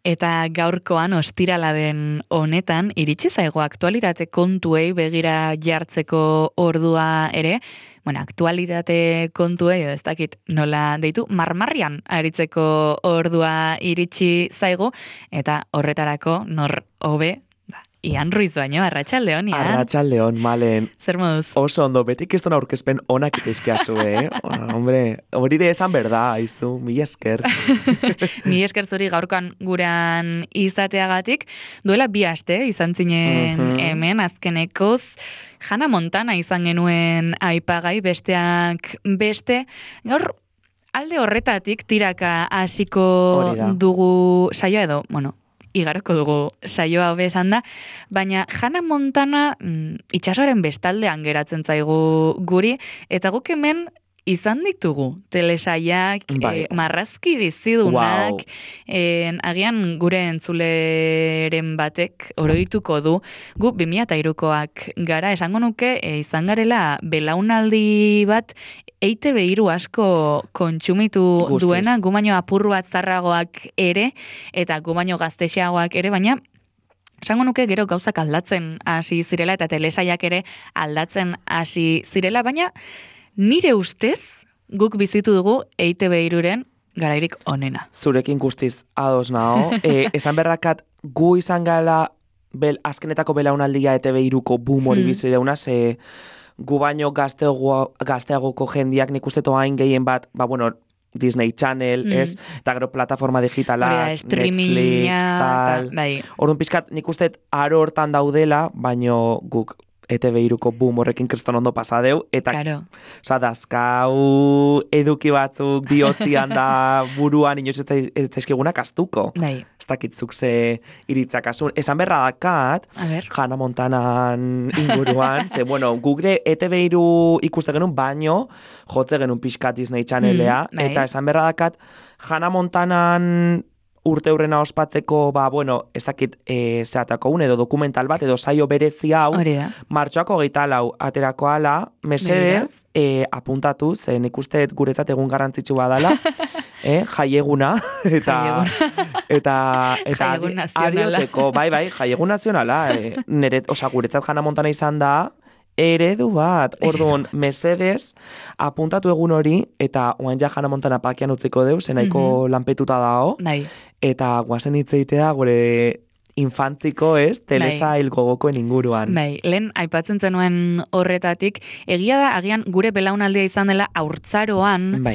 Eta gaurkoan ostirala den honetan, iritsi zaigo aktualitate kontuei begira jartzeko ordua ere, bueno, aktualitate kontuei, ez dakit nola deitu, marmarrian aritzeko ordua iritsi zaigu, eta horretarako nor hobe, Ian Ruiz baino, arratsaldeon, Ian. Arratsaldeon, Malen. Zer moduz? Oso ondo, betik ez aurkezpen onak itezkeazu, Hombre, hori de esan berda, aizu, mila esker. Mila esker zuri gaurkoan guran izateagatik. Duela 2 aste izan zinen hemen, azkenekoz, Hannah Montana izan genuen aipagai, besteak beste. Gaur, alde horretatik tiraka hasiko dugu saioa edo, bueno, igaroko dugu saioa hobe esan da, baina Hannah Montana itsasoaren bestaldean geratzen zaigu guri, eta guk hemen izan ditugu telesaiak, marrazki bizidunak, agian gure entzuleren batek oroituko du, gu 2003koak gara, esango nuke, izan garela belaunaldi bat EITB3 asko kontsumitu duena, gu baino apurru bat zarragoak ere, eta gu baino gaztexeagoak ere, baina esango nuke gero gauzak aldatzen hasi zirela, eta telesaiak ere aldatzen hasi zirela, baina nire ustez guk bizitu dugu EITB3-ren garairik onena. Zurekin guztiz ados nao. Esan berrakat gu izan gala azkenetako belaunaldia EITB3ko boom hori bizi deuna, gu baino gazteagoko jendiak nik uste toain gehien bat, Disney Channel, ez? Eta gero plataforma digitalak, Netflix, tal. Orduan pixkat nik uste aro hortan daudela, baino guk EITB3ko boom horrekin kriston ondo pasadeu, eta dazkau eduki batzuk bihotzian da buruan inoiz ez zaizkigunak astuko. Ez dakitzuk ze iritzakasun. Esan berra dakat, Hannah Montanan inguruan, gugre EITB3 ikuste genuen baino, jotze genuen pixkat Disney Channelea, eta esan berra dakat, Hannah Montanan urte hurrena ospatzeko, ez dakit zehatako edo dokumental bat, edo saio berezi hau, martxoako 24 aterako ala, mesedez, apuntatu, zen ikusteet guretzat egun garrantzitsu badala, jaieguna, eta adioteko, jaiegun nazionala, guretzat Hannah Montana izan da, eredu bat, orduan, mesedez, apuntatu egun hori, eta oain ja Hannah Montana pakian utziko deu, zenaiko lanpetuta dao, eta guazen hitzeitea gure infantziko, telesail gogokoen inguruan. Lehen aipatzen zenuen horretatik, egia da, agian gure belaunaldia izan dela haurtzaroan,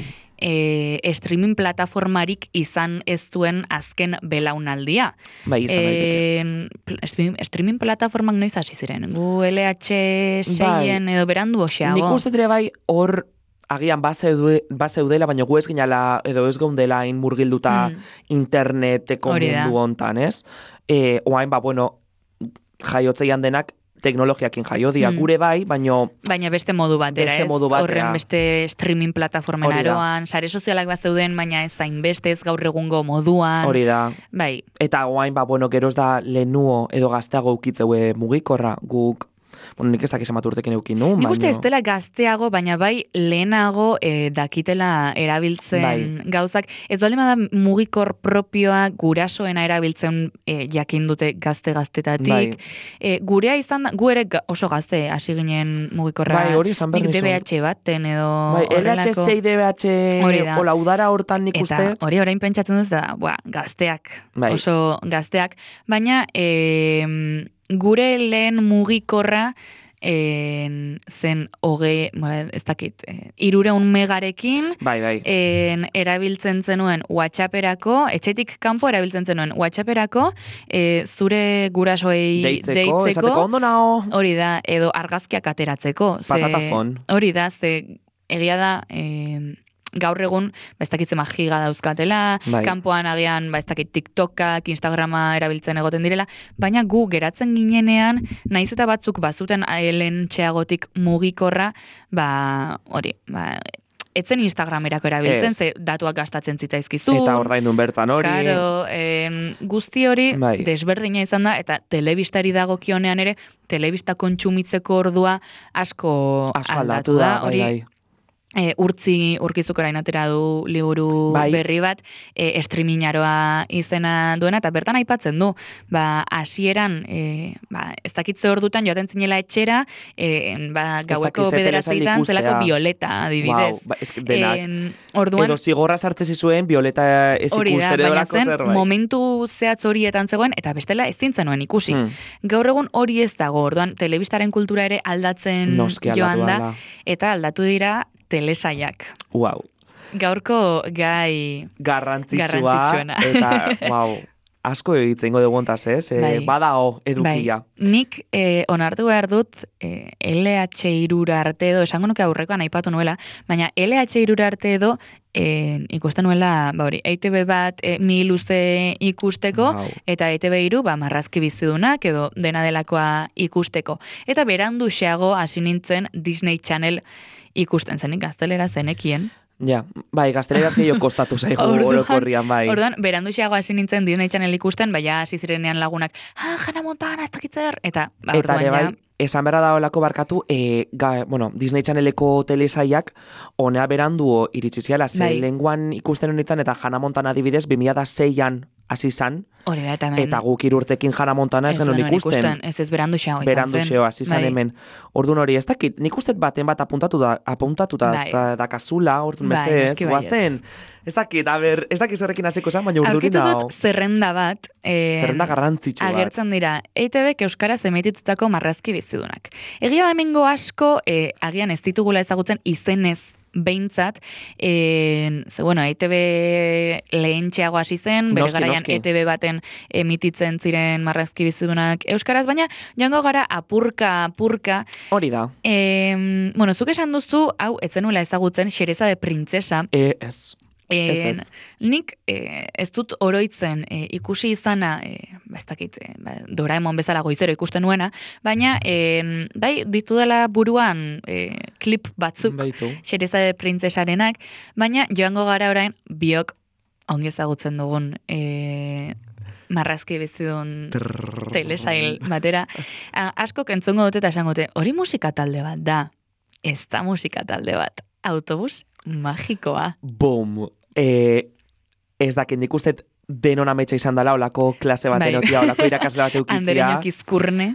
streaming plataformarik izan ez duen azken belaunaldia. Izan daiteke. Streaming plataformak noiz hasi ziren? Gu LH6-en edo berandu oxeago? Nik uste dire hor agian bazeudela, baina gu ez ginala edo ez gaundela murgilduta interneteko mundu hontan, ez? Oain, jaiotzeian denak teknologiakin jaiodia gure baina beste modu batera, ez? Horren beste streaming plataformen aroan, sare sozialak bat zeuden, baina ez zain beste, ez gaur egungo moduan. Hori da. Eta oain, geroz da lehenuo edo gazteago ukitzeue mugikorra, guk nik ez dakiz emat urtekin eukin nu. Nik uste ez dela gazteago, baina lehenago dakitela erabiltzen gauzak. Ez baldin bada mugikor propioa gurasoena erabiltzen jakin dute gaztetatik. Gurea izan da, gu ere oso gazte hasi ginen mugikorra. Hori izan behar nizun. Nik DBH baten edo horrelako. LH6 DBH hola udara hortan nik uste. Eta hori orain pentsatzen duz da, gazteak, oso gazteak. Baina gure lehen mugikorra zen ez dakit, 300 megarekin erabiltzen zenuen WhatsApperako, etxetik kanpo erabiltzen zenuen WhatsApperako, zure gurasoei deitzeko, esateko ondo nao. Hori da, edo argazkiak ateratzeko. Patatafon. Hori da, egia da, gaur egun, ez dakit zema giga dauzkatela, kanpoan agian, ez dakit TikTokak, Instagrama erabiltzen egoten direla, baina gu geratzen ginenean, naiz eta batzuk bazuten lentxeagotik mugikorra, etzen Instagramerako erabiltzen, ze datuak gastatzen zitzaizkizu. Eta ordaindun bertan hori. Karo, guzti hori desberdina izan da, eta telebistari dagokionean ere, telebista kontsumitzeko ordua asko aldatu da. Hori urkizuk orain atera du liburu berri bat, streamingaroa izena duena, eta bertan aipatzen du, hasieran, ez dakitze hor dutan joaten zinela etxera, gaueko bederatzitan zelako Violeta, adibidez. Orduan, edo zigorra sartze zizuen Violeta ez ikusten edolako zerbait. Momentu zehatz horietan zegoen, eta bestela ez zintzen ikusi. Gaur egun hori ez dago, orduan, telebistaren kultura ere aldatzen joan da, eta aldatu dira telesaiak. Wow. Gaurko gai garrantzitsuena. Eta, asko egitzen dugu ontaz, badao edukia. Nik onartu behar dut LH3 arte edo, esango nuke aurrekoan aipatu nuela, baina LH3 arte edo ikusten nuela, EITB bat mi luze ikusteko, eta EITB 3 marrazki bizidunak edo dena delakoa ikusteko. Eta berandu xeago hasi nintzen Disney Channel ikusten zenik gaztelera zenekien. Ja, gazteleraz gehiago kostatu zaigu orokorrian, bai. Orduan, berandu xeago hasi nintzen Disney Channel ikusten, hasi zirenean lagunak, Hannah Montana, ez dakitzer, eta orduan ja. Esan berra da olako barkatu, Disney Channeleko telesaiak honea berandu iritsi ziala, lehenguan ikusten honetan, eta Hannah Montana adibidez, 2006an hasi zan, eta guk 3 urtekin Hannah Montana ez genuen ikusten. Ez berandu xeo. Berandu xeo, hasi zan hemen. Orduan hori, ez dakit, nik ustet baten bat apuntatuta da kasula, orduan bezez, guazen. Ez dakit, ez dakit zerrekin hasiko zan, baina urdurin hau. Aurkitu dut zerrenda bat. Zerrenda garrantzitsu bat. Agertzen dira, EITBek euskaraz emititutako marrazki bizidunak. Egia da hemengo asko, agian ez ditugula ezagutzen izenez behintzat, EITB lehentxeago hasi zen, bere garaian EITB baten emititzen ziren marrazki bizidunak euskaraz, baina joango gara apurka. Hori da. Zuk esan duzu, hau, etzenuela ezagutzen, Xereza de Printzesa. Nik ez dut oroitzen ikusi izana, ez dakit, Doraemon bezala goizero ikusten nuena, baina ditu dela buruan klip batzuk Xereza de Printzesarenak, baina joango gara orain biok ongi ezagutzen dugun marrazki bizidun telesail batera. Asko entzungo dute eta esango dute, hori musika talde bat da, ez da musika talde bat, autobus magikoa. Bom! Ez dakit, nik ustet denon ametsa izan dela, olako klase bat enotia, olako irakasle bat eukitzia. Andereñok izkurne.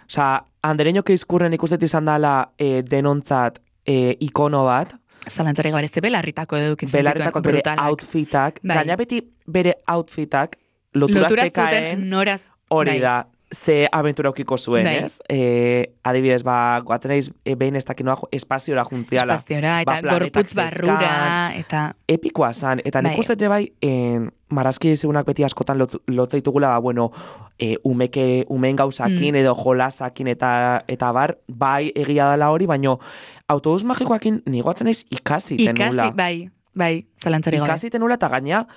Andereñok izkurne nik ustet izan dela denontzat ikono bat. Zalantzari gabar ez belarritako edukitzen. Belarritako bere outfitak. Gaina beti bere outfitak lotura zekaen hori da. Ze aventura aukiko zuen, ez? Adibidez, goatzen naiz behin ez dakinoa espaziora juntziala. Espaziora, eta gorputz barrura, eta... Epikoa zan, eta nik uste bai, marrazki segunak beti askotan lotzaitugula, umeen gauzakin edo jolasakin eta bar, bai egia dela hori, baino autobus magikoakin nigoatzen naiz ikasi tenula. Bai, zalantzari gabe. Ikasi tenula eta gaina...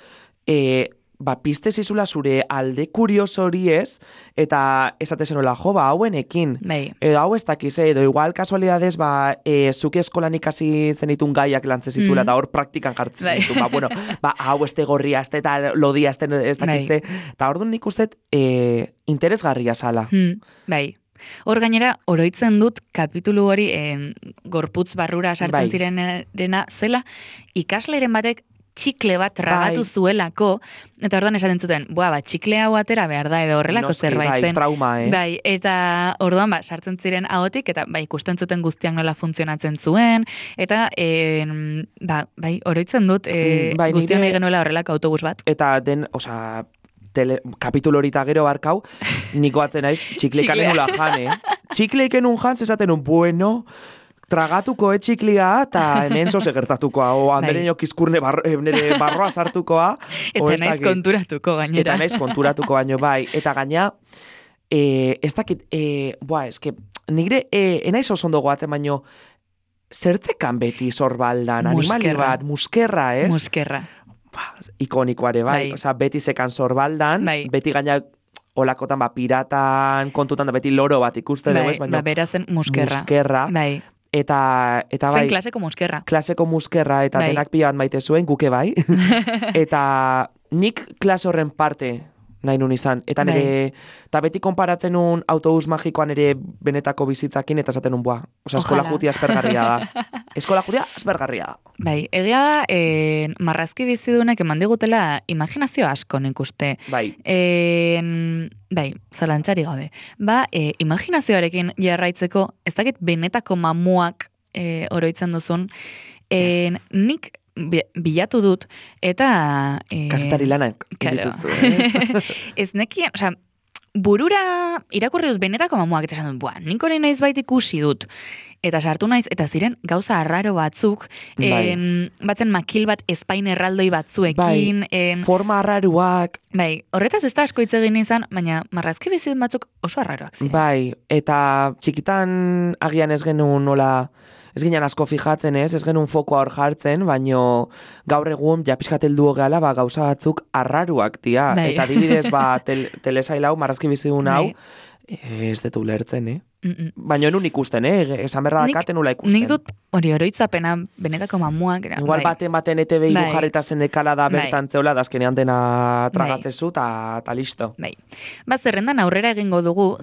piste zizula zure alde kurios hori ez, eta esatezenola, hauenekin. Edo hau ez dakiz, edo igual kasualidades, zuke eskolan ikasi zenitun gaiak lantzen zituela, eta hor praktikan jartzen zituen. Hau este gorria, este eta lodia, este ez dakiz, eta hor duen nik ustet interesgarria zala. Bai. Hor gainera, oroitzen dut kapitulu hori gorputz barrura sartzen zirenena zela, ikasleren batek txikle bat tragatu zuelako, eta orduan esaten zuten, txikle hau atera behar da, edo horrelako zerbait zen. Trauma, eta orduan, sartzen ziren ahotik, eta ikusten zuten guztiak nola funtzionatzen zuen, eta, oroitzen dut, guztiak nahi genuela horrelako autobus bat. Eta kapitulo hori eta gero barkau, niko atzen naiz, txiklekan enula jan, Txikleiken un jan, zezaten un, tragatuko etxiklia, eta hemen zoze gertatukoa, Andereñok izkurne nire barroa sartukoa. Eta naiz konturatuko gainera. Eta naiz konturatuko baino, bai. Eta gaina, ez dakit, eske, nire, enaiz oso ondo goatzen baino, zertzekan beti zorbaldan, animali bat, muskerra, ez? Muskerra. Ikonikoare, bai. Osa, beti zekan zorbaldan, beti gaina, olakotan, piratan, kontutan da beti loro bat ikuste dugu, baina berazen muskerra. Muskerra. Bai. Eta bai... Zen klaseko muskerra. Klaseko muskerra, eta denak pila bat maite zuen, guke bai. Eta nik klase horren parte nahi nun izan. Eta nire, eta beti konparatzen nun autobus magikoan ere benetako bizitzakin, eta esaten nun, eskola jutia aspergarria da. Eskola jutia aspergarria da. Bai, egia da, marrazki bizidunek eman digutela imaginazio asko nik uste. Bai. Bai, zalantzari gabe. Imaginazioarekin jarraitzeko, ez dakit benetako mamuak oroitzen duzun, nik bilatu dut, eta... Kasetari lanak dituzu. Ez nekien, burura irakurri dut benetako mamuak, eta esan dut, nik hori naiz bait ikusi dut. Eta sartu naiz, eta ziren gauza arraro batzuk, batzen makil bat espain erraldoi batzuekin. Forma arraruak. Bai, horretaz ez da asko hitz egin izan, baina marrazki bizit batzuk oso arraroak ziren. Bai, eta txikitan agian ez genuen nola... Ez ginen asko fijatzen ez genuen fokoa hor jartzen, baino gaur egun ja pixkateldu gehala gauza batzuk arraruak dira. Bai. Eta adibidez telesail hau, marrazki bizidun hau, ez dut ulertzen, Baina enun ikusten, esan berra dakaten nula ikusten. Nik dut hori oroitzapena benetako mamuak. Igual baten ETV jarrita zen ekala da bertan zeola, dazkenean dena tragatzezu, eta listo. Bai. Zerrendan aurrera egingo dugu,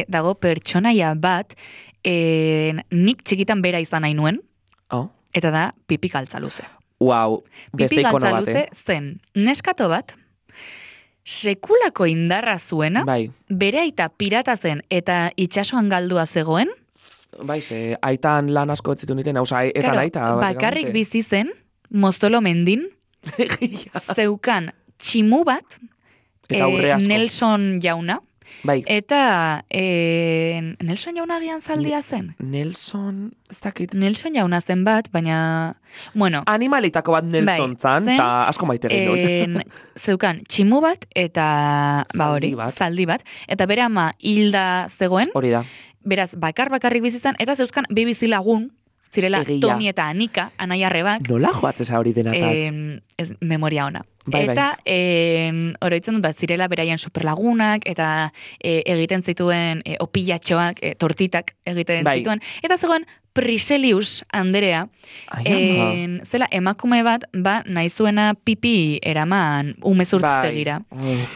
dago pertsonaia bat, nik txikitan bera izan nahi nuen, eta da Pipi Galtzaluze. Wow, beste ikono bat, Pipi Galtzaluze zen neskato bat, sekulako indarra zuena, bere aita pirata zen eta itsasoan galdua zegoen. Bai, aitan lan asko etzitu niten, etan aita. Bakarrik bizi zen, Moztolo mendin, zeukan tximu bat, Nelson jauna, eta Nelson jauna gian zaldia zen. Nelson, ez dakit. Nelson jauna zen bat, baina... Bueno, animalitako bat Nelson zan, eta asko maite egin dut. Zeukan, tximu bat, eta zaldi bat, eta bere ama hilda zegoen. Hori da. Beraz, bakarrik bizitzan, eta zeuzkan bi bizilagun, zirela Tomi eta Anika, anaiarrebak. Nola joatzeza hori denataz? Memoria ona. Eta oroitzen dut, zirela beraien superlagunak, eta egiten zituen opilatxoak, tortitak egiten zituen. Eta zegoen Priselius Anderea, zela emakume bat, nahi zuena pipi eraman umezurtztegira.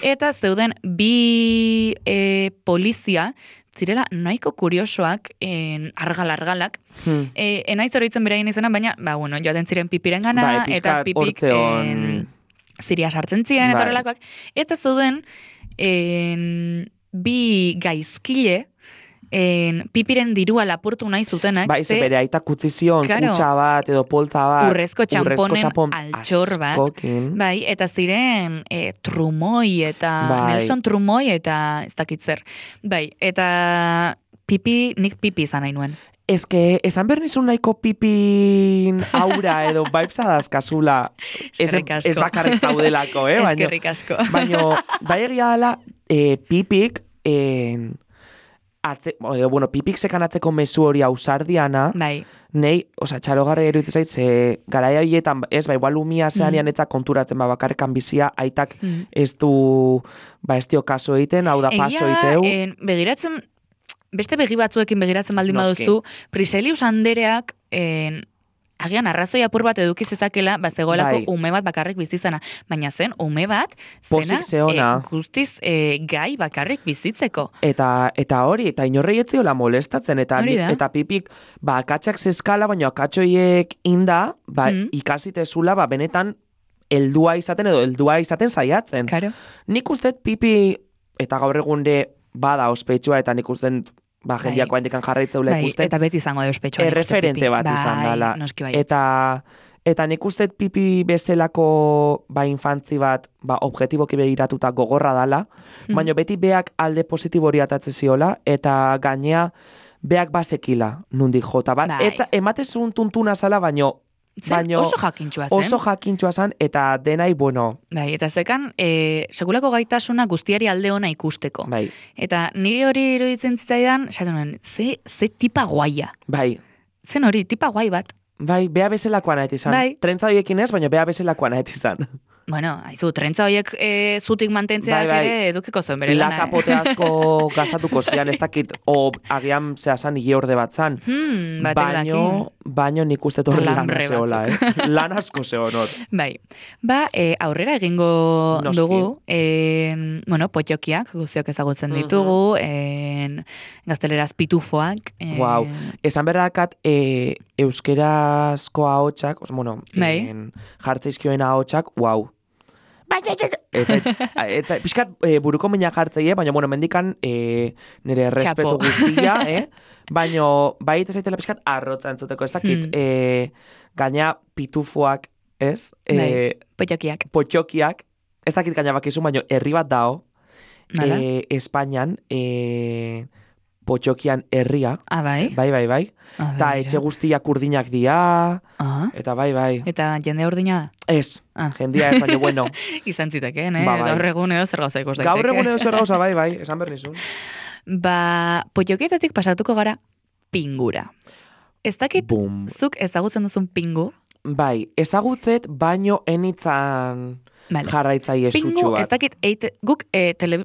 Eta zeuden bi polizia, zirela nahiko kuriosoak, argalak, enaiz oroitzen beraien izena, baina, joaten ziren pipiren gana, eta pipik ziria sartzen ziren, eta horrelakoak. Eta zeuden bi gaizkile, pipiren dirua lapurtu nahi zutenak. Bai, ze bere aita kutzizion, kutsa bat, edo poltza bat. Urrezko txamponen altxor bat. Bai, eta ziren Trumoi, eta Nelson Trumoi, eta ez dakitzer. Bai, eta nik pipi izan nahi nuen. Esan behar nizun nahiko pipin aura edo vibesa dazkazula. Ez bakarrik zaudelako, Eskerrik asko. Baina, bai egia dela, pipik, pipik sekanatzeko mezu hori ausardiana, nei, txalogarri eruditzen zait, ze garaia horietan, igual umia zeanian eta konturatzen, bakarrekan bizia, aitak ez du, ez dio kaso egiten, hau da paso egiteu. Begiratzen, beste begi batzuekin begiratzen baldin baduzu, Priselius Andereak, agian arrazoi apur bat eduki zezakela, zegoelako ume bat bakarrik bizizana. Baina zen, ume bat, zena guztiz gai bakarrik bizitzeko. Eta hori, eta inorrei etziola molestatzen, eta pipik, akatxak zeskala, baina akatxoiek inda, ikasitezula, benetan, heldua izaten saiatzen. Claro. Nik usteet pipi, eta gaur egunde, bada ospetsua, eta nik usteet, jendiako handikan jarraitzeula ikusten. Eta beti izango da ospetsua. Erreferente bat izan dela. Eta nik usteet pipi bezelako infantzi bat, objetiboki begiratuta gogorra dala, baina beti beak alde positibo hori atatzen ziola, eta gainea beak basekila nundik jota. Eta ematezun tuntuna zala, baina oso jakintxua zen. Oso jakintxua zen, eta denai, Bai, eta zekan, segulako gaitasuna guztiari alde ona ikusteko. Bai. Eta niri hori iruditzen zitzaidan, ze tipa guaia. Bai. Zen hori, tipa guai bat. Bai, bea bezalakoan ahet izan. Bai. Trentza horiekin ez, baina bea bezalakoan ahet izan. Bueno, haizu, trentza horiek zutik mantentzeak ere edukiko zuen bere lana. Lakapote asko gastatuko zian, ez dakit, o agian zehazan igeorde bat zan. Baino nik uste torri lana zehola, lan asko zehonot. Bai, aurrera egingo dugu, bueno, potxokiak, guziok ezagutzen ditugu, gazteleraz pitufoak. Wow, esan berrakat, euskerazko ahotsak, bueno, jartzeizkioen ahotsak, wow. Eta pixkat buruko mina jartzeie, baina, bueno, mendikan nire respetu guztia, baina baita zaitela pixkat arrotza entzuteko, ez dakit, gaina pitufoak, ez? Potxokiak, ez dakit gaina bakizu, baina herri bat dao, Espainian, potxokian herria. Bai? Bai. Eta etxe guztiak urdinak dia, eta bai. Eta jende urdina da? Ez, jendia ez, baina bueno. Izan zitekeen, gaur egun edo zer gauza ikus daiteke. Gaur egun edo zer gauza, bai, esan bernizun. Potxokietatik pasatuko gara pingura. Ez dakit, zuk ezagutzen duzun pingu? Bai, ezagutzet, baino enitzan jarraitzaile sutsu bat. Ez dakit, guk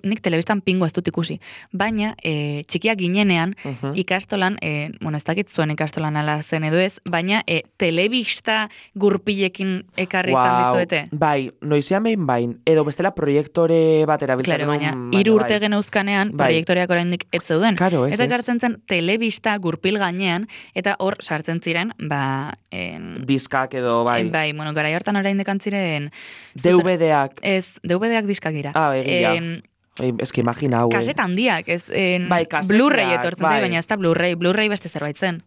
nik telebistan pingu ez dut ikusi, baina txikiak ginenean ikastolan, bueno, ez dakit zuen ikastolan ala zen edo ez, baina telebista gurpilekin ekarri izan dizuete. Bai, noizian behin bain, edo bestela proiektore bat erabiltzen. Claro, baina 3 urte geneuzkanean proiektoreak oraindik ez zeuden. Claro, eta ekartzen zen telebista gurpil gainean, eta hor sartzen ziren, diskak edo, bai. Bai, bueno, garai hortan oraindik antziren DVD-ak. Ez, DVD-ak diskak dira. Egia. Ez que imagina hau. Kaseta handiak, ez kaseteak, Blu-ray etortzen zen, baina ez da Blu-ray beste zerbait zen.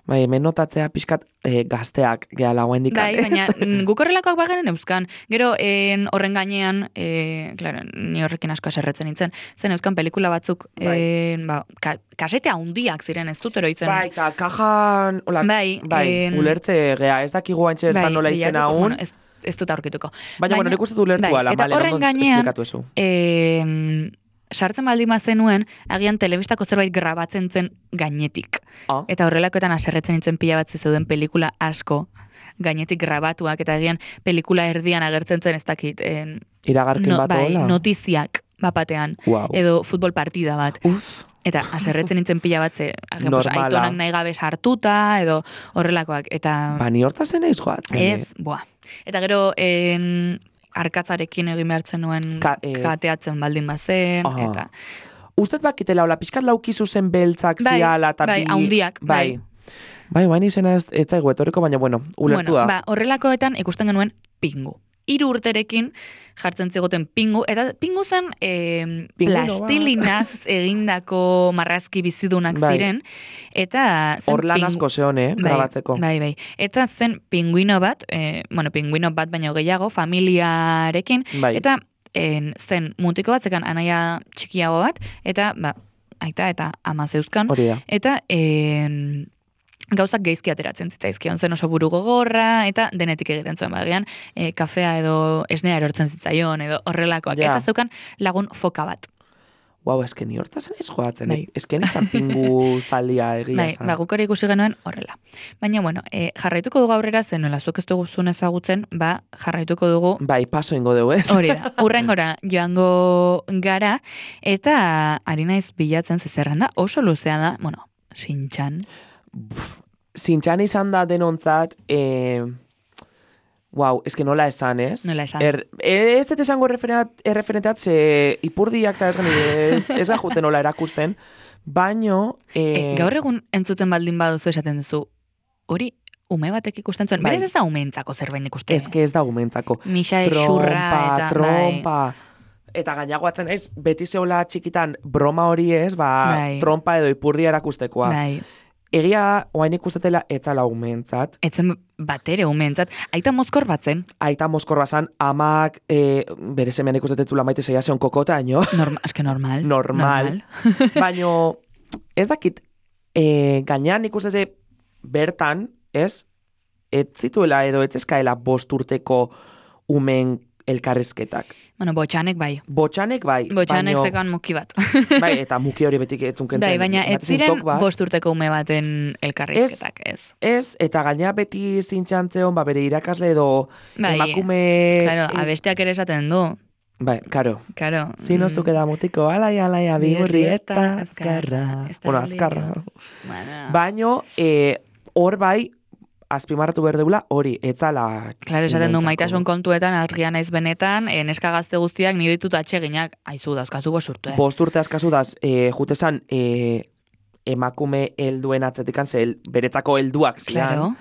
Bai, hemen notatzea pixkat gazteak gehala guen dikat. Bai, baina guk horrelakoak bagenen euskan. Gero horren gainean, claro, ni horrekin asko aserretzen nintzen, zen euskan pelikula batzuk, kasete handiak ziren ez dut eroitzen. Bai, eta kajan, ulertze gea, ez dakigu antxertan nola izen haun. Ez dut aurkituko. Baina, bueno, nik uste du lertu ala, eta horren gainean, sartzen baldin zenuen, agian telebistako zerbait grabatzen zen gainetik. Eta horrelakoetan aserretzen nintzen pila bat zeuden pelikula asko, gainetik grabatuak, eta agian pelikula erdian agertzen zen ez dakit. Iragarkin bat hola? Notiziak bapatean, edo futbol partida bat. Eta aserretzen nintzen pila bat ze, aitonak nahi gabe sartuta, edo horrelakoak. Ni hortazen eiz joatzen. Ez, Eta gero, arkatzarekin egin behartzen nuen kateatzen baldin bazen, eta... Ustet bakitela, hola, pixkat laukizu zen beltzak ziala, eta bai, haundiak, bai. Bai, izena ez zaigu etoriko, baina, bueno, ulertu da. Horrelakoetan ikusten genuen pingu. 3 urterekin jartzen zigoten pingu, eta pingu zen plastilinaz egindako marrazki bizidunak ziren, eta... Hor lan asko zeon, grabatzeko. Bai. Eta zen pinguino bat, pinguino bat baino gehiago, familiarekin, eta zen mutiko bat, zekan anaia txikiago bat, eta aita eta ama zeuzkan, eta... gauzak geizki ateratzen zitzaizkion, zen oso buru gogorra, eta denetik egiten zuen bagian, kafea edo esnea erortzen zitzaion, edo horrelakoak, eta zeukan lagun foka bat. Eske ni hortazen ez joatzen, eske nintzen pingu zalia egia zan. Guk hori ikusi genuen horrela. Baina, bueno, jarraituko dugu aurrera, zen nola zuek ez dugu zuen ezagutzen, jarraituko dugu... Paso ingo dugu ez. Hori da, urrengora joango gara, eta ari naiz bilatzen zezerren da, oso luzea da, bueno, Shin-chan. Shin-chan izan da denontzat, eske nola esan, ez? Nola esan. Ez dut esango erreferenteat, ze ipurdiak eta ez gajuten nola erakusten, baino... Gaur egun entzuten baldin baduzu esaten duzu, hori ume batek ikusten zuen, berez ez da umeentzako zerbait ikusten. Ez ez da umeentzako. Misa xurra eta... Trompa, eta gainagoatzen ez, beti zeola txikitan broma hori ez, trompa edo ipurdia erakustekoa. Egia, oain ikustetela etzala umeentzat. Etzen batere umeentzat. Aita mozkor batzen. Aita mozkor bazan, amak bere semean ikustetetzula maite zeia zeon kokota, ino? Eske normal. Normal. Baina, ez dakit, gainean ikustete bertan, ez zituela edo ez eskaela 5 urteko umen elkarrezketak. Bueno, botxanek bai. Botxanek bai. Botxanek zekan muki bat. Bai, eta muki hori betik etzunkentzen. Bai, baina ez ziren 5 urteko ume baten elkarrizketak, ez. Ez, eta gaina beti zintxantzeon, bere irakasle edo emakume... Claro, abesteak ere esaten du. Bai, karo. Zino zuke da mutiko, alai, abigurri eta azkarra. Bueno, azkarra. Baina, hor bai, azpimarratu behar deula, hori, etzala... Claro, esaten du, maitasun kontuetan, argia naiz benetan, neska gazte guztiak nire ditut atxeginak, aizu dazkazu 5 urte. 5 urte azkazu daz, jutesan, emakume helduen atzetikan, beretzako helduak zian. Claro.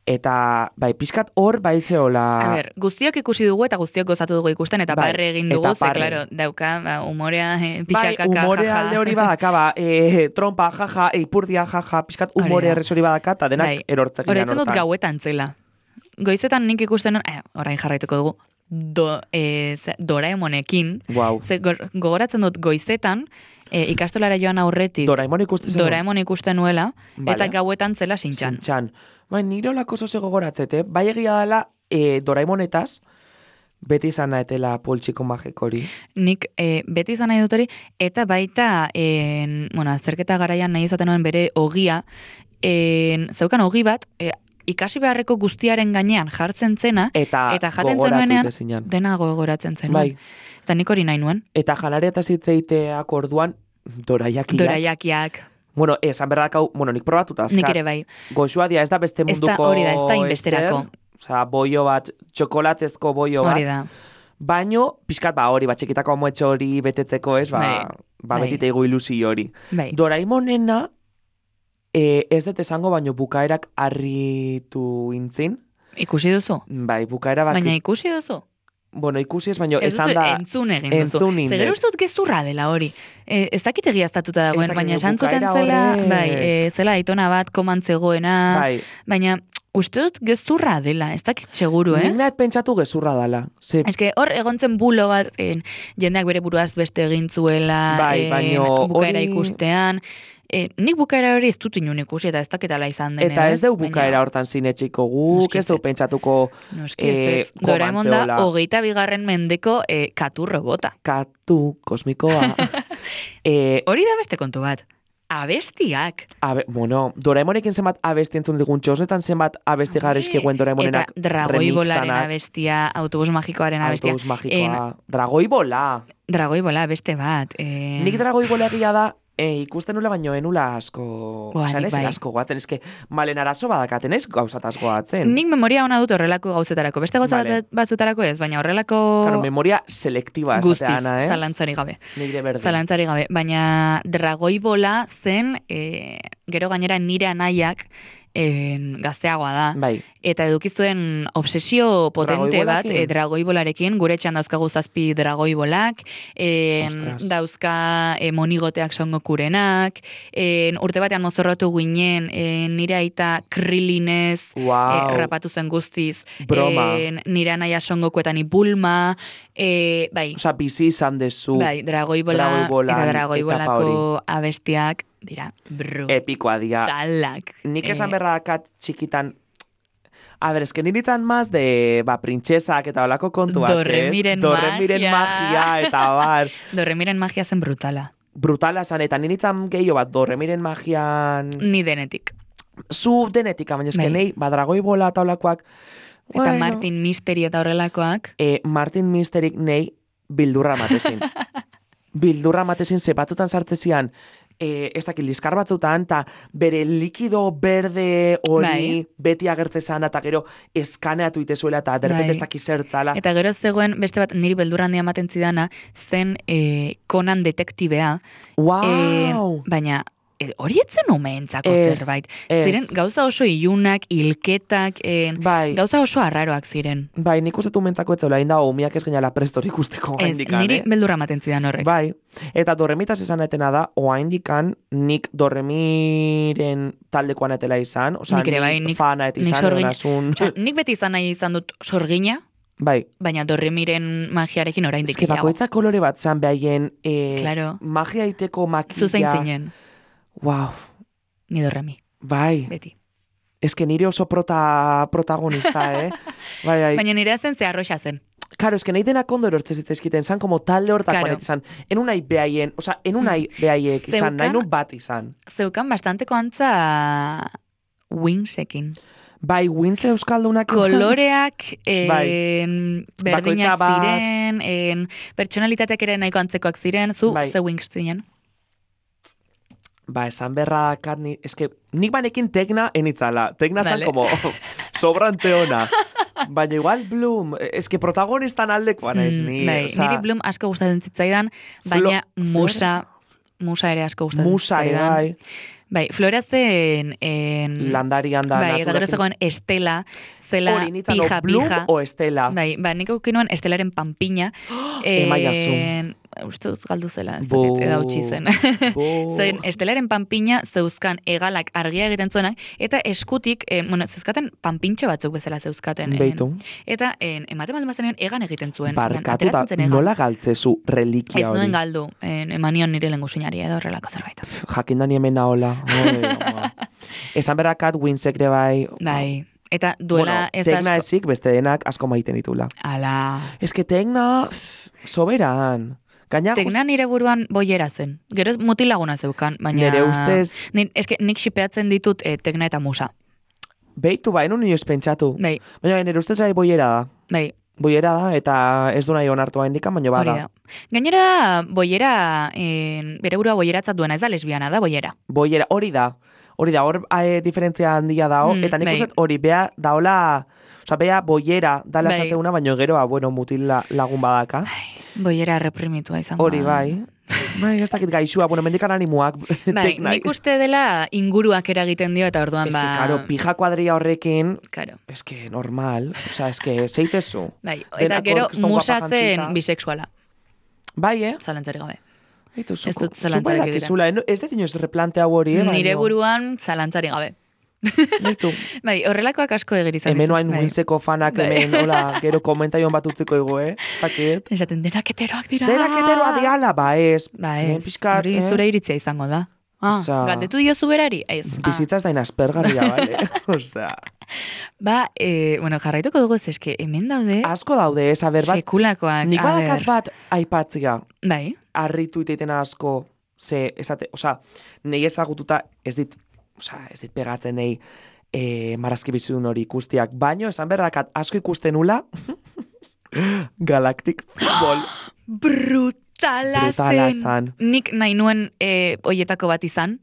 Eta, bai, pixkat hor baitzeola... A ber, guztiok ikusi dugu eta guztiok gozatu dugu ikusten, eta barre egin dugu, ze, claro, dauka, humorea, pixakaka, bai, humore alde hori badaka, trompa, jaja, eipurdia, jaja, pixkat humore errez hori badaka, eta denak erortzak ginen hortan. Horretzen dut gauetan zela. Goizetan nik ikusten, orain jarraituko dugu, Doraemonekin, ze gogoratzen dut goizetan, ikastolara joan aurretik Doraemon ikusten nuela, eta gauetan zela sintxan. Bai, nire olako zoze gogoratzete, bai egia dela Doraemonetaz, beti izan nahetela poltsiko magik hori. Nik beti izan nahi dut hori, eta baita, azterketa garaian nahi izaten nuen bere ogia, zeukan ogi bat, ikasi beharreko guztiaren gainean jartzen zena, eta jaten zenuenean, dena gogoratzen zenuen. Bai. Eta nik hori nahi nuen. Eta janaria eta zitzeiteak orduan, doraiakiak. Bueno, esan berrakau, nik probatuta azkar. Nik ere bai. Goxua dia, ez da beste munduko... Hori da, ez da inbesterako. Osa, boio bat, txokolatezko boio bat. Hori da. Baino, pixkat, hori, txikitako amoetxo hori betetzeko, ez, betite ego ilusi hori. Bai. Doraimonena, ez dut esango, baino bukaerak harritu intzin. Ikusi duzu? Bai, bukaera bat... Baina ikusi duzu? Bueno, ikusi ez, baina esan da... Entzun egin duzu. Zegero ustut gezurra dela hori. Ez dakit egiaztatuta dagoen, baina esan zuten zela, zela aitona bat komantzegoena, baina uste dut gezurra dela, ez dakit seguru, Nik nahet pentsatu gezurra dela. Ez que hor egontzen bulo bat, jendeak bere buruaz beste egin zuela, bukaera ikustean... nik bukaera hori ez dut inun ikusi eta ez daketala izan dene. Eta ez deu bukaera hortan zinetxiko guk, ez deu pentsatuko Doraemon da 22. mendeko katu robota. Katu kosmikoa. Hori da beste kontu bat. Abestiak. Doraemonekin zenbat abesti entzun digun txosnetan zenbat abesti garrizkiguen Doraemonenak remixanak. Eta Dragoibolaren abestia, autobus magikoaren abestia. Autobus magikoa. Dragoibola. Dragoibola, beste bat. Nik Dragoibola egia da, ikusten nula baino enula asko, asko goatzen, eske malen arazo badakaten ez gauzataz goatzen. Nik memoria ona dut horrelako gauzetarako, beste gauza batzutarako ez, baina horrelako... Claro, memoria selektiba esatea, Ana, ez? Zalantzari gabe. Nire berdin. Zalantzari gabe, baina Dragoibola zen, gero gainera nire anaiak, gazteagoa da. Bai. Eta edukizuen obsesio potente bat dragoibolarekin, gure etxean dauzkagu 7 dragoibolak, dauzka monigoteak songokurenak, urte batean mozorrotu ginen, nire aita krilinez rapatu zen guztiz, nire anaia songokuetan ibulma, bai. Osa, bizi izan dezu. Bai, dragoibola eta dragoibolako abestiak, dira, epikoa dira. Talak. Nik esan berradakat txikitan, a ber, esken niritan maz de, printxesak eta olako kontuak, Dorremiren magia, eta bar. Dorremiren magia zen brutala. Brutala zan, eta niritan gehiago bat, Dorremiren magian... Ni denetik. Zu denetik, baina esken nahi, Dragoibola eta olakoak... Eta Martin Mystery eta horrelakoak. Martin Mystery nahi bildurra matezin. Bildurra matezin, zepatutan sartzezian, ez dakit liskar batzutan, eta bere likido berde hori beti agertzezan, eta gero eskaneatu itezuela, eta derrepet ez dakit zertzala. Eta gero zegoen, beste bat, niri beldurra handia ematen zidana, zen Conan detektibea. Wow! Baina... hori etzen umeentzako zerbait. Ziren, gauza oso ilunak, hilketak, gauza oso arraroak ziren. Bai, nik uste umeentzako etzela, inda umiak ez geniala prestor ikusteko oaindikan. Niri beldurra maten zidan horrek. Bai, eta Dorremitaz esan etena da, oaindikan nik Dorremiren taldekoan etela izan, oza, nik fana et izan, nik beti izan nahi izan dut sorgina, bai. Baina Dorremiren magiarekin oraindik gehiago. Eske bakoitza kolore bat zan behaien magia iteko makilla. Zuzein zinen. Wow. Ni Dorremi. Bai. Beti. Ez que nire oso protagonista, Bai. Baina nire zen ze arroxa zen. Claro, es que nahi denak ondo erortzen zitzaizkiten, zan como talde hortakoan izan. Enunai behaien, oza, enunai behaiek izan, nahi nun bat izan. Zeukan bastanteko antza Wingsekin. Bai, Wings euskaldunak. Koloreak, berdinak ziren, pertsonalitateak ere nahiko antzekoak ziren, zu ze Wings zinen? Ba, esan berra dakat, eske, nik banekin Tekna enitzala. Tekna zan como sobrante ona. Baina igual Bloom, eske protagonistan aldekoa naiz ni. Niri Bloom asko gustatzen zitzaidan, baina Musa ere asko gustatzen zitzaidan. Musa ere, bai, Flora zen landarian da. Bai, eta gero zegoen Estela, zela pija. Bloom o Estela? Bai, nik aukinuen Estelaren panpina. Emaiazu. Uste duz galdu zela, eda utzi zen. Zen, Estelaren panpina zeuzkan egalak argia egiten zuenak, eta eskutik, zeuzkaten panpintxe batzuk bezala zeuzkaten. Beitu. Eta ematen balde mazenean egan egiten zuen. Barkatu da, nola galtzezu relikia hori? Ez nuen galdu, emanion nire lengusinari edo horrelako zerbait. Jakindani hemen nahola. Esan berrakat, Winsekre bai. Bai. Eta duela ez asko. Tekna ezik, beste denak asko maiten ditula. Ala. Ez que Tekna, soberan. Tekna nire buruan boiera zen. Gero mutilaguna zeukan, baina... Nire ustez... Nik xipeatzen ditut Tekna eta Musa. Beitu ba, enun nioz pentsatu. Bai. Baina nire ustez gai boiera da. Bai. Boiera da, eta ez du nahi onartua indikan, baina bada. Gainera, boiera, bere burua boieratzat duena, ez da lesbiana da, boiera. Boiera, hori da, hor diferentzia handia dao, eta nik uste hori, bea daola... Osa, bea boiera dala esateuna, baina gero, mutil lagun badaka. Boiera reprimitua izango. Hori, bai. Bai, ez dakit gaixua, mendikan animuak. Bai, nik uste dela inguruak eragiten dio, eta orduan ba... Ez que, pija kuadria horrekin, ez que normal, oza, ez que zeitezu. Bai, eta gero Musa zen bisexuala. Bai, Zalantzari gabe. Ez dut zalantzari gabe. Ez dut inoz replantea hori, nire buruan zalantzari gabe. Bai, horrelakoak asko egerizan. Hemen oain Wingseko fanak hemen, hola, gero komentaion bat utziko ego, Zakit. Esaten, denak heteroak dira. Denak heteroak diala, ba ez. Hori zure iritzia izango da. Galdetu diozu berari? Bizitzaz dain aspergarria, bale? Osea. Ba, jarraituko dugu ez eske, hemen daude. Asko daude, ez, aber bat. Sekulakoak, nik badakat bat aipatzia. Bai. Arritu iteiten asko, nahi ezagututa ez dit pegatzen nahi marazki bizidun hori ikustiak. Baino, esan berrakat asko ikusten nula Galactic Football. Brutala zen. Nik nahi nuen oietako bat izan.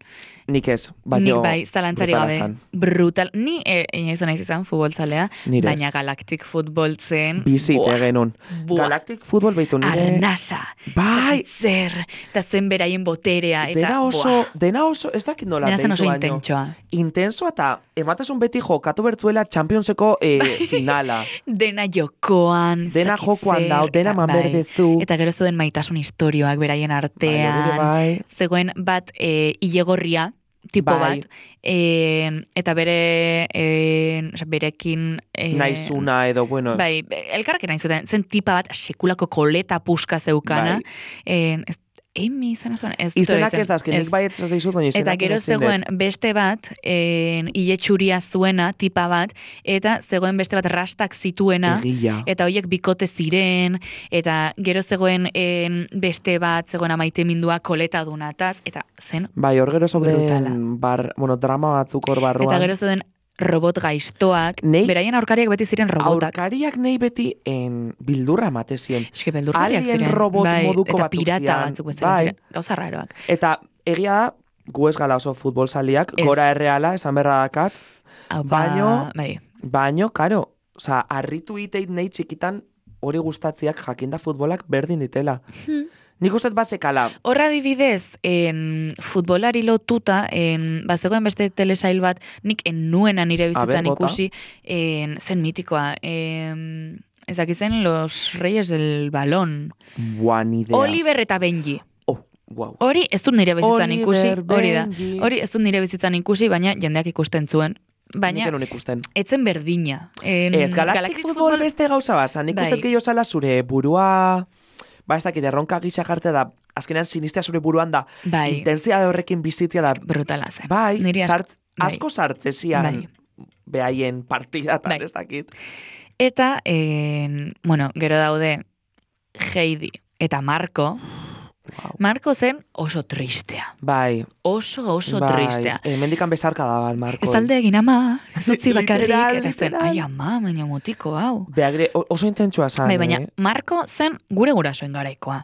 Nik ez, baino nik bai, zalantzari gabe. Brutal. Ni inoizu nahiz izan futbolzalea, baina Galactic Football zen. Bizite genuen. Galactic Football behitu nire. Arnasa. Bai. Zer. Eta zen beraien boterea. Dena oso, ez dakit nola behitu baino. Dena zen oso intentsoa. Intensoa eta ematasun beti jokatu bertzuela Championseko finala. Dena jokoan. Dena jokoan dao, dena manberdezu. Eta gero zuen maitasun historioak beraien artean. Bai. Zegoen bat ilegorria, tipo bat, eta berekin... Naizuna edo, bueno... Bai, elkarrekin nahi zuten, zen tipa bat sekulako koleta puska zeukana, Emi izan zuen. Izenak ez da, nik bai ez dizut, baina izenak eta gero zegoen beste bat, ile txuria zuena, tipa bat, eta zegoen beste bat rastak zituena, eta horiek bikote ziren, eta gero zegoen beste bat, zegoen amaite mindua koleta dunataz, eta zen bai, hor gero zoben drama batzuk hor barruan. Eta gero zegoen robot gaiztoak, beraien aurkariak beti ziren robotak. Aurkariak nahi beti bildurra ematezien. Eske bildurriak ziren. Alien robot moduko batzuk ziren. Eta pirata batzuk ziren. Gauza raroak. Eta egia da, gu ez gala oso futbolzaliak, gora erreala, esan berra dakat, baino, karo, arritu iteit nahi txikitan hori gustatziak jakinda futbolak berdin ditela. Nik ustet bazekala. Horra dibidez, futbolari lotuta, bazegoen beste telesail bat, nik nuena nire bizitzan ikusi, zen mitikoa, ezakitzen Los Reyes del Balón. Buan idea. Oliver eta Benji. Wow. Hori ez dut nire bizitzan ikusi, hori da. Hori ez dut nire bizitzan ikusi, baina jendeak ikusten zuen. Baina, etzen berdina. Ez, Galactic Football beste gauza baza. Nik ustet gehiago zala zure burua... Ba, ez dakit, erronka gisa jartzea da, azkenean sinistea zure buruan da, intensia horrekin bizitzea da. Brutala zen. Bai, asko sartzezian behaien partidatan, ez dakit. Eta, gero daude Heidi eta Marco. Wow. Marco zen oso tristea. Bai. Oso tristea. Mendikan bezarka da bat, Marco. Ez alde egin ama, ez utzi bakarrik, eta zen, literal. ai ama, baina motiko, hau. Beagre, oso intentsua zan, Bai, baina Marco zen gure gurasoen garaikoa.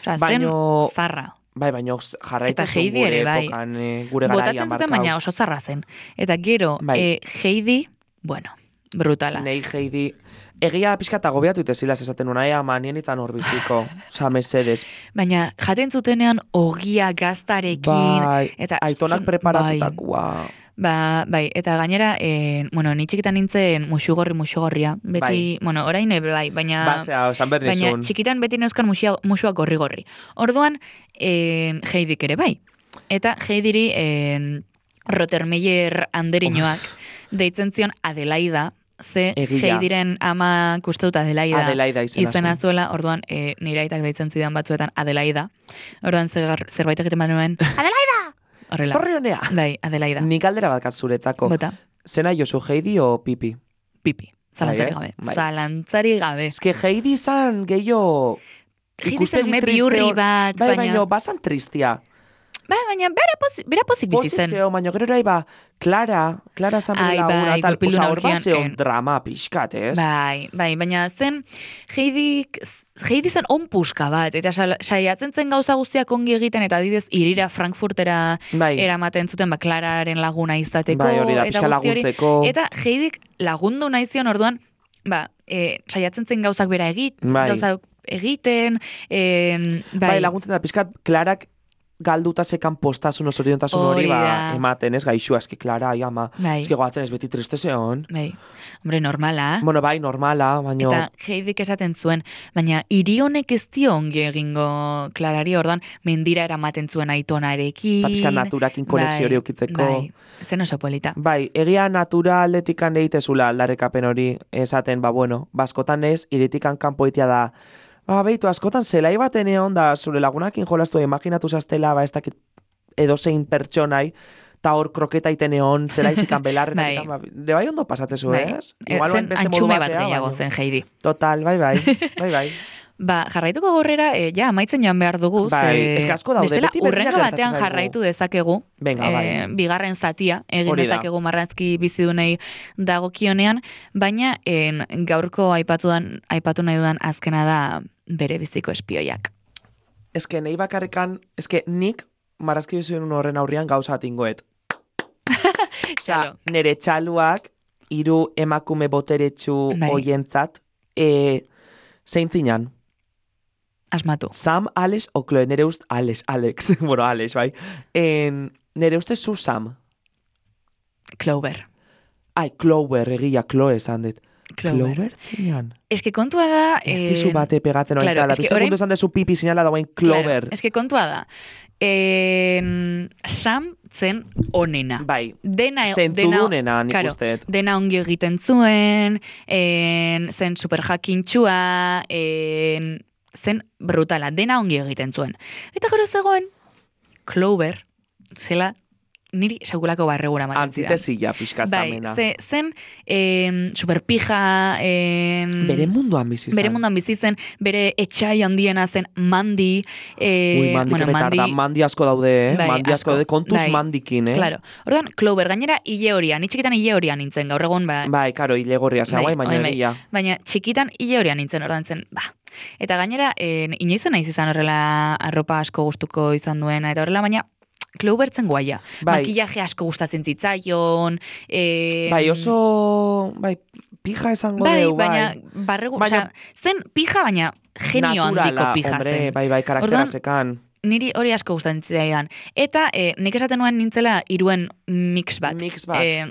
Osea, zen zarra. Bai, baina jarraita zuen gure epokan, gure garaian botatzen zuten, baina oso zarra zen. Eta gero, Heidi, brutala. Nei Heidi, egia pixka eta gobiatu itezilaz esaten nuen, ama nien itzan hor biziko, oza, mesedes. Baina, jaten zutenean ogia gaztarekin. Bai, eta aitonak preparatutakoa. Bai, eta gainera, ni txikitan nintzen muxugorria. Beti, orain bai, baina txikitan beti neuzkan muxuak gorri. Orduan, Heidik ere bai. Eta Heidiri Rottermeier anderinoak deitzen zion Adelaida, ze Heidiren ama uste dut Adelaida izena zuela, orduan nire aitak deitzen zidan batzuetan Adelaida. Orduan zerbait egiten baduen, Adelaida! Horrela. Torri honea. Bai, Adelaida. Nik aldera bat zuretzako. Bota. Zena Josu, Heidi o Pipi? Pipi. Zalantzari gabe. Zalantzari gabe. Ez que Heidi zan gehiago ikustegi triste. Biurri bat, baina basan tristia. Bai, baina bera pozik bizitzen. Pozik zeo, baina gero erai Clara zan bere laguna, tal, oza, hor bat zeon drama pixkat, ez? Bai, baina zen Heidi zen onpuska bat, eta saiatzen zen gauza guztiak ongi egiten, eta adidez irira Frankfurtera eramaten zuten, Clararen laguna izateko, hori da, pixka laguntzeko. Eta Heidik lagundu nahi zion orduan, saiatzen zen gauzak bera gauzak egiten, bai, laguntzen da, pixkat, Clarak galduta sekan postasun osoriontasun hori ematen, ez, gaixua, eski, Clara, ama, eski goatzen ez beti triste zeon. Bai, hombre, normala. Bueno, bai, normala, baina... Eta Heidik esaten zuen, baina hiri honek ez dio ongi egingo Clarari, orduan, mendira eramaten zuen aitonarekin. Pizka naturakin konexio hori ukitzeko. Bai, zen oso polita. Bai, egia natura aldetikan deitezula aldarrekapen hori esaten, baskotan ez, iritikan kanpoitia da, behitu, askotan zelai baten egon da, zure lagunakin jolastu, imaginatu zaztela, ez dakit edozein pertsonai, eta hor kroketa iten egon, zelaitikan belarretatik, de bai ondo pasatezu, ez? Zen antxume bat gehiago zen, Heidi. Total, bai. Jarraituko gorrera, amaitzen joan behar dugu. Bai, asko daude, bestela, urrengo batean jarraitu dezakegu, bigarren zatia, egin dezakegu marrazki bizidunei dagokionean, baina gaurko aipatu nahi dudan azkena da bere biziko espioiak. Nahi bakarrekan, nik marrazki bizidun horren aurrian gauza atingoet. Nere txaluak, 3 emakume boteretsu hoientzat, zeintzinan. Asmatu. Sam, Alex o Chloe, nere ust, Alex, Alex, bai. Nere uste zu Sam. Clover. Clover, egia, Chloe esan dit. Clover zinean. Kontua da... Ez dizu bate pegatzen hori, claro, segundu esan dezu pipi sinala dagoen Clover. Claro, kontua da. Sam zen onena. Bai, zentzudunena nik usteet. Dena ongi egiten zuen, zen superjakintxua, zen brutala, dena ongi egiten zuen. Eta gero zegoen, Clover, zela, niri segulako barregura maten zidan. Antitesilla, pixkatzamena. Bai, zen superpija... Bere munduan bizizen. Bere etxai handiena zen Mandi. Mandi asko daude, Mandi asko daude, kontuz Mandikin, Claro. Orduan, Clover, gainera hile horian, txikitan hile horian nintzen, gaur egon, Bai, karo, hile gorria zagoai, baina egia. Baina txikitan hile horian nintzen, orduan zen, Eta gainera, inoizen naiz izan horrela arropa asko gustuko izan duena, eta horrela, baina Clover zen guaia. Makillaje asko gustatzen zitzaion. Oso... pija esango deu, baina zen pija, baina genio handiko pija zen. Bai, karaktera sekan. Niri hori asko gustatzen zitzaidan. Eta nik esaten nuen nintzela 3 mix bat.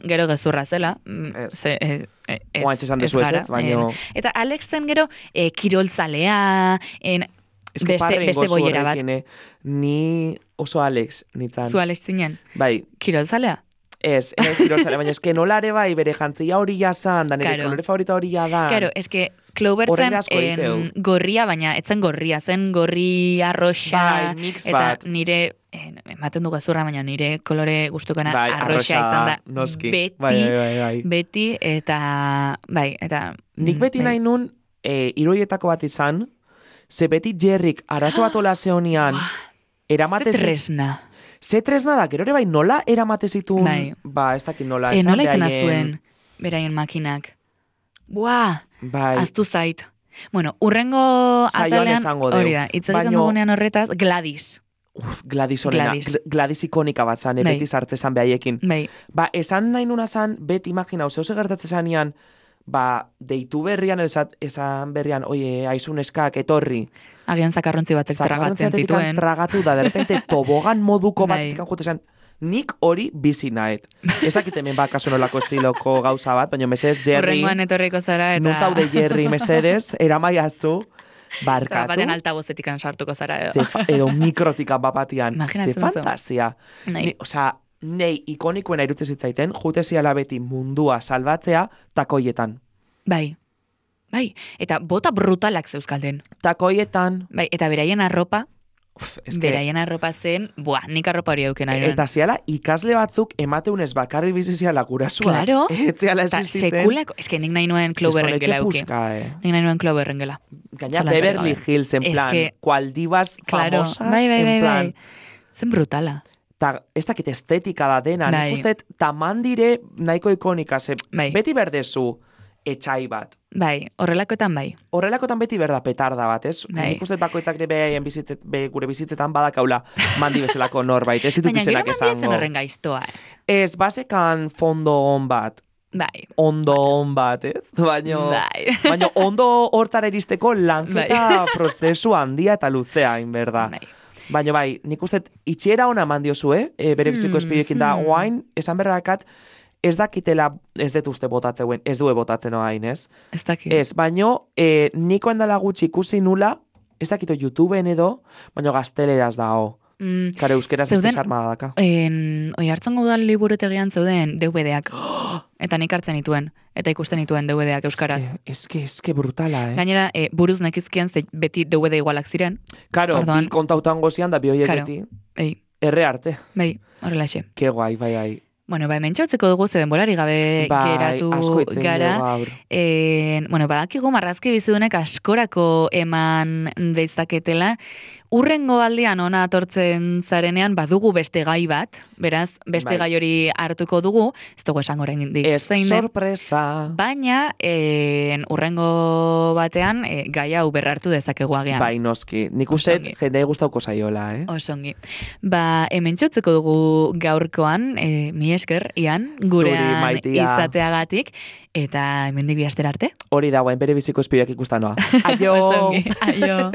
Gero gezurra zela. Oantxe esan dezu ez, baina... Eta Alex zen gero kirolzalea, beste boiera bat. Ni oso Alex nintzen. Zu Alex zinen? Bai. Kirolzalea? Ez, enaiz kirolzale, baina eske nola ere bai bere jantzia hori jasan, da nire kolore favorita hori da. Claro, eske Clover zen gorria, baina etzen gorria, zen gorri arroxa, mix eta bat. Nire, ematen dugu zurra, baina nire kolore guztukana arroxa izan da. Noski. Beti, eta, eta... Nik beti nahi nun, iroietako bat izan, ze beti Jerrik arazo bat ola zeonian, eramatez... Ze tresna da, gero ere bai nola eramate zituen, ez dakit nola. Nola izan azuen, beraien makinak. Aztu zait. Bueno, urrengo atalean, hori da, hitz egiten dugunean horretaz, Gladys. Gladys horrena, Gladys ikonika bat zan, beti sartzezan behaiekin. Esan nahi nuna zan, beti imagina, zeu segertatzen zanean, deitu berrian, esan berrian, oie, aizun eskak, etorri. Agian zakarrontzi batek tragatzen zituen. Tragatu da, derrepente, tobogan moduko bat ikan jutezan, nik hori bizi nahet. Ez dakit hemen kasu nolako estiloko gauza bat, baina mesedez, Jerry... Urrengoan etorriko zara, eta... Nuntaude Jerry, mesedez, eramaiazu, barkatu... Baten altabozetikan sartuko zara, edo. Edo mikrotikan bapatian. Imaginatzen ze fantasia. Osa, nei ikonikoena irutze zitzaiten, juteziala beti mundua salbatzea takoietan. Bai, eta bota brutalak zeuzkalden. Takoietan. Bai, eta beraien arropa, beraien arropa zen, nik arropa hori auken ari. Eta ziala, ikasle batzuk emateunez bakarri biziziala gurasua. Claro. Etziala existitzen. Sekulako, eske nik nahi nuen Cloverren gela auke. Nik nahi nuen Cloverren gela. Gaina Beverly Hills, en plan, cualdivas famosas, en plan. Zen brutala. Ta, ez dakit estetika da dena, nik usteet tamandire nahiko ikonika, beti berdezu etxai bat. Horrelakoetan bai. Horrelakoetan beti berda petarda bat, ez? Nik usteet bakoitzak gure bizitzetan badakaula mandi bezalako norbait, ez ditut izenak esango. Baina gero mandi ezen horren gaiztoa, Ez, basekan fondo on bat. Ondo on bat, ez? Baina ondo hortara iristeko lanketa prozesu handia eta luzea, inberda. Baina nik uste itxiera ona mandiozue, bere biziko espidioekin da, oain, esan berrakat, ez dakitela, ez dut uste botatzeuen, ez due botatzen oain, ez? Ez dakit. Ez, baina niko endala gutxi ikusi nula, ez dakito YouTubeen edo, baina gazteleraz da, Kare, euskeraz ez desarmada daka. Oi hartzen gaudan liburutegian zeuden DVD-ak. Eta nik hartzen dituen. Eta ikusten dituen DVD-ak euskaraz. Eske brutala, Gainera, buruz nekizkien beti DVD igualak ziren. Karo, bi kontautan gozian da bi hoiek beti. Erre arte. Horrelaxe. Ke guai, bai. Bueno, mentxautzeko dugu ze denborari gabe geratu gara. Badakigu marrazki bizidunek askorako eman deitzaketela. Urrengo aldean ona atortzen zarenean badugu beste gai bat, beraz, beste gai hori hartuko dugu, ez dugu esango oraindik. Ez sorpresa. Baina, urrengo batean, gai hau berrartu dezakegu agian. Bai, noski. Nik uste jendei gustauko zaiola, Osongi. Hemen txutzeko dugu gaurkoan, mi esker, Ian, gurean izateagatik, eta hemendik bi astera arte. Hori dagoen bere biziko espioak ikustanoa. Aio! Osongi, aio!